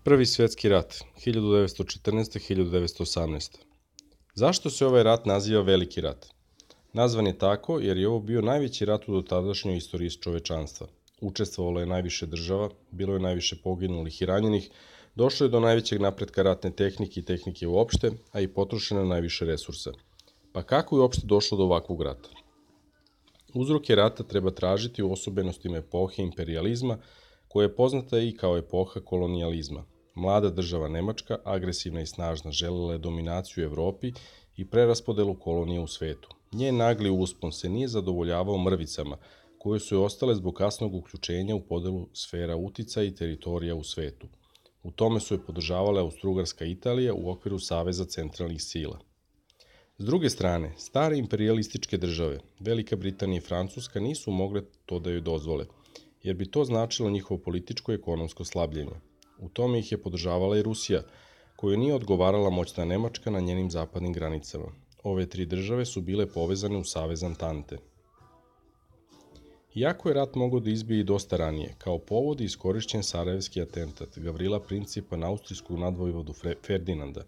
Prvi svjetski rat, 1914-1918. Zašto se ovaj rat naziva Veliki rat? Nazvan je tako jer je ovo bio najveći rat u dotadašnjoj istoriji čovečanstva. Učestvovalo je najviše država, bilo je najviše poginulih i ranjenih, došlo je do najvećeg napretka ratne tehnike i tehnike uopšte, a i potrošeno je najviše resursa. Pa kako je uopšte došlo do ovakvog rata? Uzroke rata treba tražiti u osobenostima epohe imperijalizma, koja je poznata i kao epoha kolonijalizma. Mlada država Nemačka, agresivna i snažna, želela je dominaciju u Evropi i preraspodelu kolonije u svetu. Njen nagli uspon se nije zadovoljavao mrvicama, koje su joj ostale zbog kasnog uključenja u podelu sfera uticaja i teritorija u svetu. U tome su je podržavale Austrougarska Italija u okviru Saveza centralnih sila. S druge strane, stare imperijalističke države, Velika Britanija i Francuska, nisu mogle to da joj dozvole, jer bi to značilo njihovo političko i ekonomsko slabljenje. U tome ih je podržavala i Rusija, koju nije odgovarala moćna Nemačka na njenim zapadnim granicama. Ove tri države su bile povezane u Savez Antante. Iako je rat mogao da izbije i dosta ranije, kao povod je iskorišćen sarajevski atentat Gavrila Principa na austrijskog nadvojvodu Ferdinanda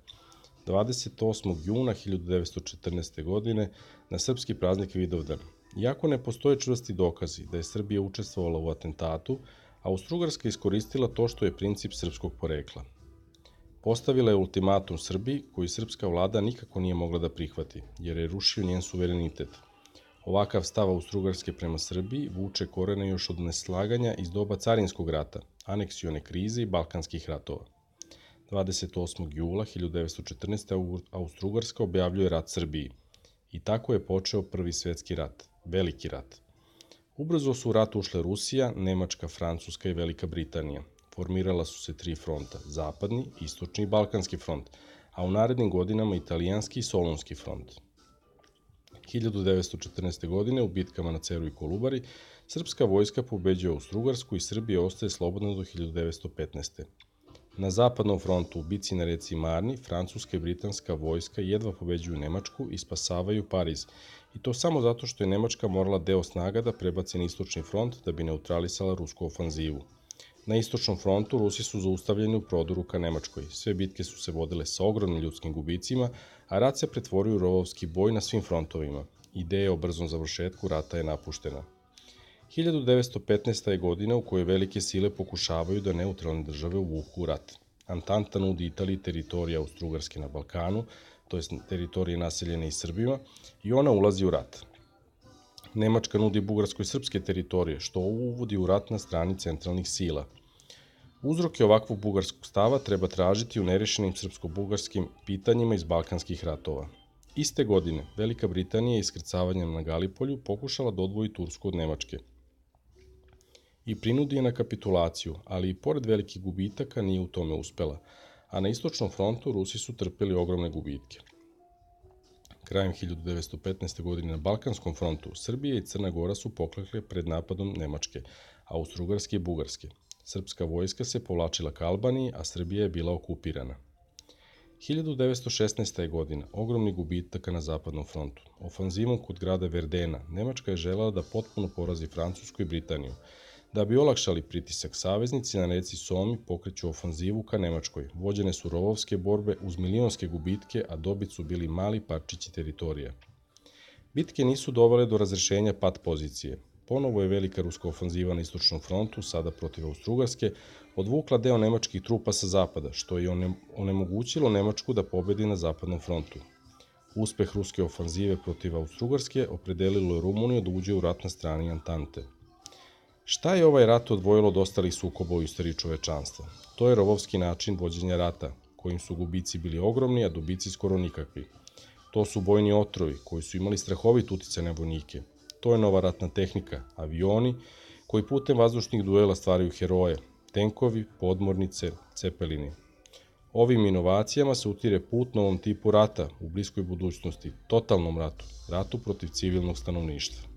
28. juna 1914. godine na srpski praznik Vidovdan. Iako ne postoje čvrsti dokazi da je Srbija učestvovala u atentatu, Austrougarska iskoristila to što je Princip srpskog porekla. Postavila je ultimatum Srbiji, koji srpska vlada nikako nije mogla da prihvati, jer je rušio njen suverenitet. Ovakav stav Austrougarske prema Srbiji vuče korene još od neslaganja iz doba carinskog rata, aneksione krize i balkanskih ratova. 28. jula 1914. Austrougarska objavljuje rat Srbiji. I tako je počeo Prvi svjetski rat, Veliki rat. Ubrzo su u rat ušle Rusija, Nemačka, Francuska i Velika Britanija. Formirala su se tri fronta, zapadni, istočni i balkanski front, a u narednim godinama italijanski i solunski front. 1914. godine u bitkama na Ceru i Kolubari srpska vojska pobeđuje Austrougarsku i Srbija ostaje slobodna do 1915. Na zapadnom frontu u bici na reci Marni, francuska i britanska vojska jedva pobeđuju Nemačku i spasavaju Pariz, i to samo zato što je Nemačka morala deo snaga da prebaci na istočni front da bi neutralisala rusku ofanzivu. Na istočnom frontu Rusi su zaustavljeni u prodoru ka Nemačkoj. Sve bitke su se vodile sa ogromnim ljudskim gubicima, a rat se pretvorio u rovovski boj na svim frontovima. Ideja o brzom završetku rata je napuštena. 1915. je godina u kojoj velike sile pokušavaju da neutralne države uvuku u rat. Antanta nudi Italiji teritorije Austrougarske na Balkanu, to jest teritorije naseljene i Srbima, i ona ulazi u rat. Nemačka nudi Bugarskoj srpske teritorije, što uvodi u rat na strani centralnih sila. Uzroke ovakvog bugarskog stava treba tražiti u nerešenim srpsko-bugarskim pitanjima iz balkanskih ratova. Iste godine, Velika Britanija iskrcavanjem na Galipolju pokušala da odvoji Tursku od Nemačke i prinudi je na kapitulaciju, ali i pored velikih gubitaka nije u tome uspela, a na istočnom frontu Rusi su trpeli ogromne gubitke. Krajem 1915. godine na Balkanskom frontu Srbija i Crna Gora su poklekle pred napadom Nemačke, Austrougarske i Bugarske. Srpska vojska se povlačila ka Albaniji, a Srbija je bila okupirana. 1916. godina, ogromni gubitaka na zapadnom frontu. Ofanzivom kod grada Verdena, Nemačka je želela da potpuno porazi Francusku i Britaniju. Da bi olakšali pritisak, saveznici na reci Somi pokreću ofanzivu ka Nemačkoj. Vođene su rovovske borbe uz milionske gubitke, a dobit su bili mali parčići teritorija. Bitke nisu dovele do razrešenja pat pozicije. Ponovo je velika ruska ofanziva na istočnom frontu, sada protiv Austrougarske, odvukla deo nemačkih trupa sa zapada, što je onemogućilo Nemačku da pobedi na zapadnom frontu. Uspeh ruske ofanzive protiv Austrougarske opredelilo je Rumuniju da uđe u rat na strani Antante. Šta je ovaj rat odvojilo od ostalih sukoba u istoriji čovečanstva? To je rovovski način vođenja rata, kojim su gubici bili ogromni, a dobici skoro nikakvi. To su bojni otrovi, koji su imali strahovit uticaj na vojnike. To je nova ratna tehnika, avioni, koji putem vazdušnih duela stvaraju heroje, tenkovi, podmornice, cepelini. Ovim inovacijama se utire put novom tipu rata u bliskoj budućnosti, totalnom ratu, ratu protiv civilnog stanovništva.